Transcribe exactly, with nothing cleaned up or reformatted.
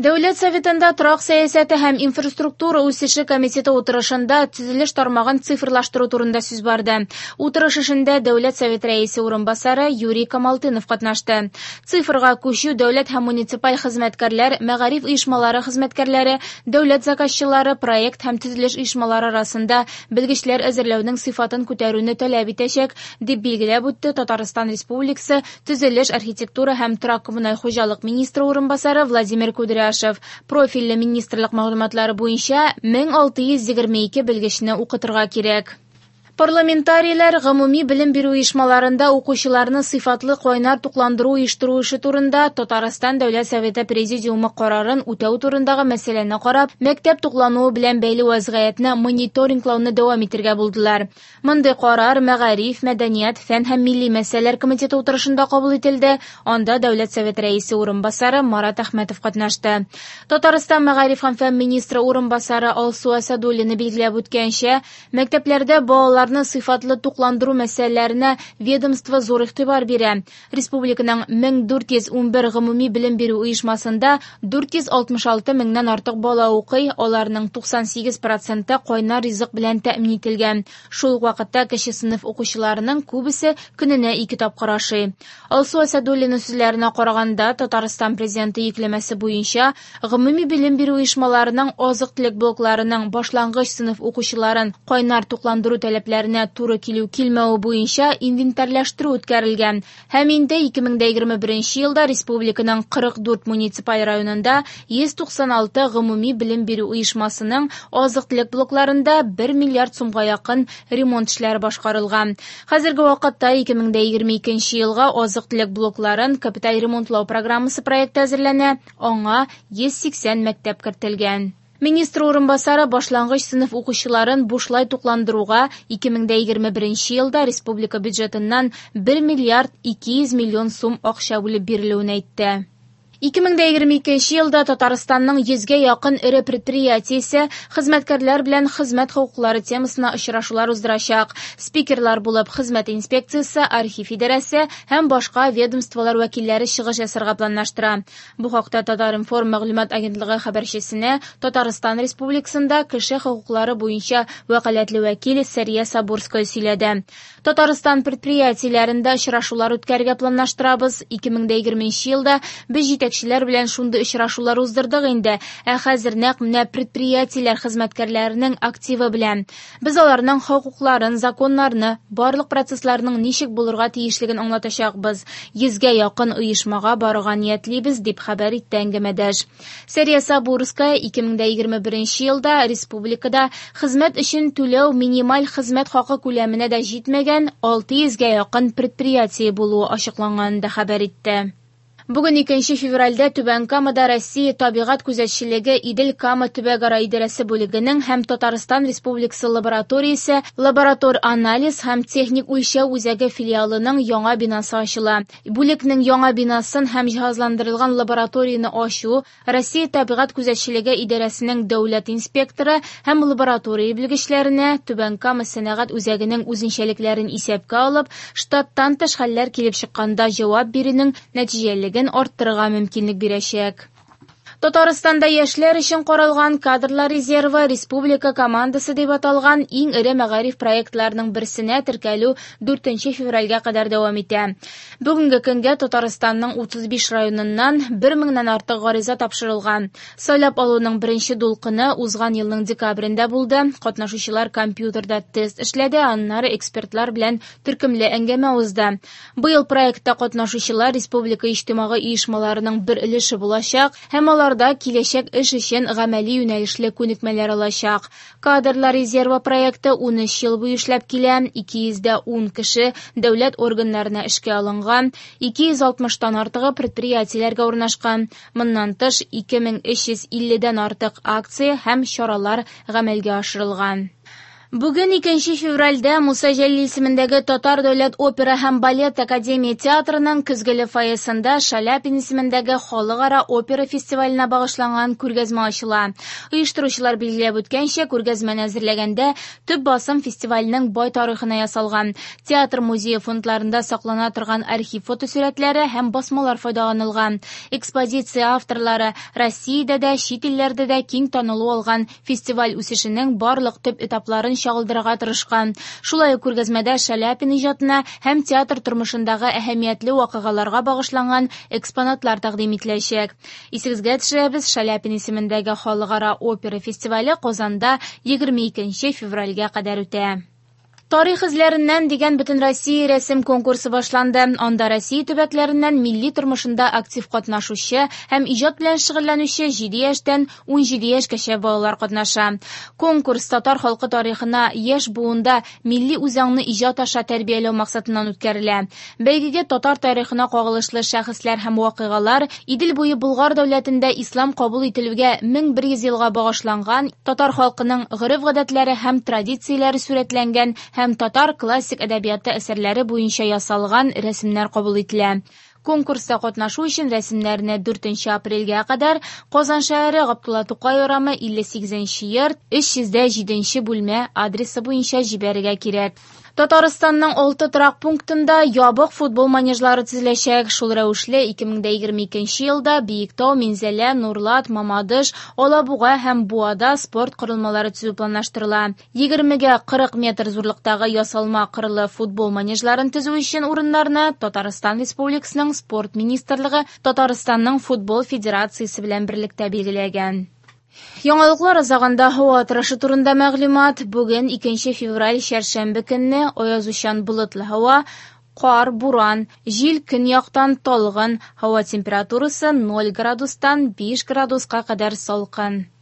Дәүләт Советында торак сәясәте һәм инфраструктура үсеше комитеты утырышында төзелеш тармагын цифрлаштыру турында сүз барды. Утырыш эшендә Дәүләт Совет рәисе урынбасары Юрий Камалтынов катнашты. Цифрга күчү дәүләт һәм муниципаль хезмәткәрләр, мәгариф оешмалары хезмәткәрләре, дәүләт заказчылары, проект һәм төзелеш оешмалары арасында белгечләр әзерләүнең сыйфатын күтәрүне таләп итәчәк, дип билгеләп үтте Татарстан Республикасы Төзелеш, архитектура һәм торак-коммуналь хуҗалык министры урынбасары Владимир Кудряшев. Профильле министрлык мәгълүматлары буенча мең алты йөз егерме ике белгечне укытырга кирәк. Парламентарийлар гомуми белем бирү оешмаларында укучыларны сыйфатлы кайнар тукландыру оештыру эше турында Татарстан Дәүләт Советы Президиумы карарын үтәү турындагы мәсьәләне карап, мәктәп туклануы белән бәйле вазгыятьне мониторинглауны дәвам итәргә булдылар. Мондый карар Мәгариф, мәдәният, фән һәм милли мәсьәләләр комитеты утырышында кабул ителде. Анда Дәүләт Советы рәисе урынбасары Марат Әхмәтов катнашты. Татарстан Мәгариф һәм фән министры урынбасары Алсу Асадуллина билгеләп үткәнчә, мәктәпләрдә балалар сыйфатлы тукландыру мәсьәләләренә ведомство зур игътибар бирә. Республиканың мең дүрт йөз унбер гомуми белем бирү оешмасында дүрт йөз алтмыш алты меңнән артык бала укый, аларның туксан сигез проценты кайнар ризык белән тәэмин ителгән. Шул ук вакытта кече сыйныф укучыларының күбесе көненә ике тапкыр ашый. Алсу Асадуллина сүзләренә караганда, Татарстан президенты йөкләмәсе буенча гомуми белем бирү оешмаларының азык-төлек блокларының башлангыч сыйныф укучыларын кайнар тукландыру таләпләренә туры килү килмәве буенча инвентарьлаштыру үткәрелгән. Һәм инде ике мең дә егерме беренче елда республиканың кырык дүрт муниципаль районында йөз туксан алты гомуми белем бирү оешмасының азык-төлек блокларында бер миллиард сумга якын ремонт эшләре башкарылган. Хәзерге вакытта ике мең дә егерме икенче елга азык-төлек блокларын капиталь ремонтлау программасы проекты әзерләнә, аңа йөз сиксән мәктәп кертелгән. Министр урынбасары башлангыч сыйныф укучыларын бушлай тукландыруга ике мең дә егерме беренче елда республика бюджетыннан бер миллиард ике йөз миллион сум акча бүлеп бирелүен әйтте. Ике мең дә егерме икенче елда Татарстанның йөзгә якын эре предприятиесе хезмәткәрләр белән хезмәт хокуклары темасына очрашулар уздырачак. Спикерлар булып хезмәт инспекциясе, архив идарәсе һәм башка ведомстволар вәкилләре чыгыш ясарга планлаштыра. Бу хакта Татар-информ мәгълүмат агентлыгы хәбәрчесенә Татарстан Республикасында кеше хокуклары буенча вәкаләтле вәкил Сәрия Сабурская сөйләде. Татарстан предприятиеләрендә очрашулар үткәрергә планлаштырабыз. Ике мең дә егерменче елда без җитәкчеләр белән шундый очрашулар уздырдык инде. Ә хәзер нәкъ менә предприятиеләр хезмәткәрләренең активы белән. Без аларның хокукларын, законнарны, барлык процессларның ничек булырга тиешлеген аңлатачакбыз. Йөзгә якын оешмага барырга ниятлибез, дип хәбәр итте әңгәмәдәш. Сәрия Сабурская ике мең дә егерме беренче елда республикада хезмәт өчен түләү минималь хезмәт хакы күләменә дә җитмәгән алты йөзгә якын предприятие булуы ачыкланганын да хәбәр итте. Бүген икенче февральдә Түбән Камада Россия табигать күзәтчелеге Идел Кама төбәкара идарәсе бүлегенең һәм Татарстан Республикасы лабораториясе лаборатор анализ һәм техник үлчәү үзәге филиалының яңа бинасы ачыла. Бүлекнең яңа бинасын һәм җиһазландырылган лабораторияне ачу Россия табигать күзәтчелеге идарәсенең дәүләт инспекторы һәм лаборатория белгечләренә Түбән Кама сәнәгать үзәгенең үзенчәлекләрен исәпкә алып, штаттан тыш хәлләр килеп чыкканда җавап бирүнең нәтиҗәлелеген арттырырга мөмкинлек бирәчәк. Татарстанда яшьләр өчен каралган кадрлар резервы республика командасы дип аталган иң эре мәгариф проектларының берсенә теркәлү дүртенче февральгә кадәр дәвам итә. Бүгенге көнгә Татарстанның утыз биш районыннан бер меңнән артык гариза тапшырылган. Сайлап алуның беренче дулкыны узган елның декабрендә булды. Катнашучылар компьютерда тест эшләде, аннары экспертлар белән төркемле әңгәмә узды. Быел проектта катнашучылар республика иҗтимагый оешмаларының бер өлеше булачак һәм алар да киләчәк эш өчен гамәли юнәлешле күнекмәләр алачак. Кадрлар резервы проекты ун өч ел буе эшләп килә. Ике йөз дә ун кеше дәүләт органнарына эшкә алынган, ике йөз алтмыштан артыгы предприятиеләргә урнашкан. Моннан тыш ике мең өч йөз илледән артык акция һәм чаралар гамәлгә ашырылган. Бүген икенче февральдә Муса Җәлил исемендәге Татар дәүләт опера һәм балет академия театрының көзгеле фойесында Шаляпин исемендәге халыкара опера фестиваленә багышланган күргәзмә ачыла. Оештыручылар билгеләп үткәнчә, күргәзмәне әзерләгәндә төп басым фестивальнең бай тарихына ясалган. Театр музее фондларында саклана торган архив фотосурәтләре һәм басмалар файдаланылган. Экспозиция авторлары Россиядә дә, чит илләрдә дә киң танылу алган фестиваль үсешенең барлык төп этапларын чагылдырырга тырышкан. Шулай ук күргәзмәдә Шаляпин иҗатына һәм театр тормышындагы әһәмиятле вакыйгаларга багышланган экспонатлар тәкъдим ителәчәк. Исегезгә төшерәбез, Шаляпин исемендәге халыкара опера фестивале Казанда егерме икенче февральгә кадәр үтә. Тарих эзләреннән дигән Бөтенроссия рәсем конкурсы башланды. Анда Россия төбәкләреннән милли тормышында актив катнашучы һәм иҗат белән шөгыльләнүче җиде яшьтән ун җиде яшькәчә балалар катнаша. Конкурс татар халкы тарихына яшь буында милли үзаңны иҗат аша тәрбияләү максатыннан үткәрелә. Бәйгегә татар тарихына кагылышлы шәхесләр һәм вакыйгалар, Идел буе Болгар дәүләтендә ислам кабул ителүгә мең бер йөз елга багышланган татар халкының гореф-гадәтләре һәм традицияләре сурәтләнгән һәм татар классик әдәбияты әсәрләре буенча ясалган рәсемнәр кабул ителә. Конкурста катнашу өчен рәсемнәрне дүртенче апрельгә кадәр Казан шәһәре Габдулла Тукай урамы илле сигезенче йорт, өч йөз дә җиденче бүлмә адресы буенча җибәрергә кирәк. Татарстанның алты торак пунктында ябык футбол манежлары төзеләчәк. Шул рәвешле ике мең дә егерме икенче елда Биектау, Минзәлә, Нурлат, Мамадыш, Алабуга һәм Буада спорт корылмалары төзү планлаштырыла. Егермегә кырык метр зурлыктагы ясалма кырлы футбол манежларын төзү өчен урыннарны Татарстан Республикасының Спорт министрлыгы Татарстанның футбол федерациясе белән берлектә билгеләгән. Яңалыклар азагында һава торышы турында мәгълүмат. Бүген икенче февраль чәршәмбе көнне аязучан болытлы һава, кар, буран, җил көньяктан талгын, һава температурасы ноль градустан биш градуска кадәр салкын.